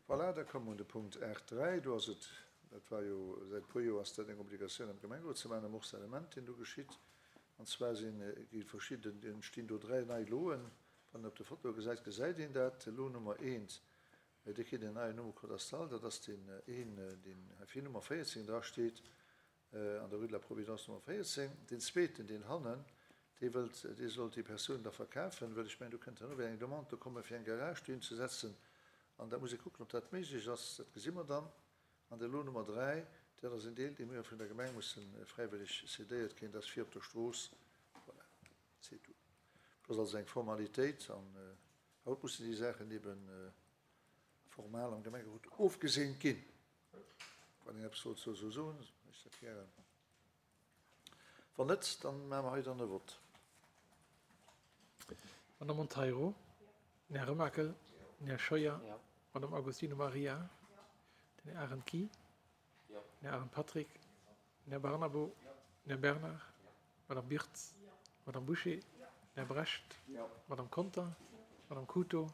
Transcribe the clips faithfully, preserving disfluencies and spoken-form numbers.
Voilà, da komme mer un de Punkt aacht dräi. Do ass et, dat war jo säit e puer Joer ass dat eng Obligatioun am Gemengerot ze maachen, e Morcellement, deen do geschitt. An zwar sinn, gi verschidden, entstinn do dräi nei Loen. Wann een op de Fotoe gesäit, gesäit een dat. Lot Nummer eent, dee kritt en neien Numm cadastral, dat ass deen een, deen hei vir Nummer véierzéng drasteet, an der Rue de la Providence Nummer véierzéng. Deen zweeten, deen hannen, dee wëllt, dee soll déi Persoun da verkafen, wëll ech mengen, do kënnt herno wéi eng Demande do komme fir eng Garage dohin ze setzen. An da muss ee kucken, ob dat méiglech ass, dat gesi mer dann. An de Lot Nummer dräi, dat ass en Deel, dee mir vun der Gemeng musse fräiwëlleg cédéiert kréien, dat ass vir op der Strooss. Voilà, c'est tout. Dat ass also eng Formalitéit an haut mussen déi Saachen ebe formal am Gemengerot ofgeseent ginn. Wann een eppes wollt dozou soen, ech dat gären. Wann net, dann maache mer hei dann e Vott. Madame Monteiro? Den Här Remakel? Den Här Scheuer? Madame Agostino Maria? Den Här Arendt Guy? Den Här Arendt Patrick? Den Här Barnabo? Den Här Bernard? Madame Birtz? Madame Bouché? Den Här Brecht? Madame Conter? Madame Couto?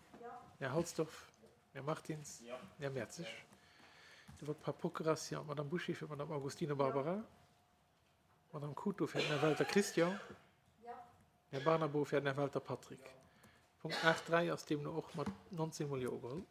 Den Här Halsdorf? Den Här Martins? Den Här Mertzig? De Vote par procuration, Madame Bouché fir d'Madame Agostino Barbara. Madame Couto fir den Här Welter Christian. Den Här Barnabo fir den Här Welter Patrick. Punkt aacht dräi ass deemno och mat nonzéng Mol Jo ugeholl.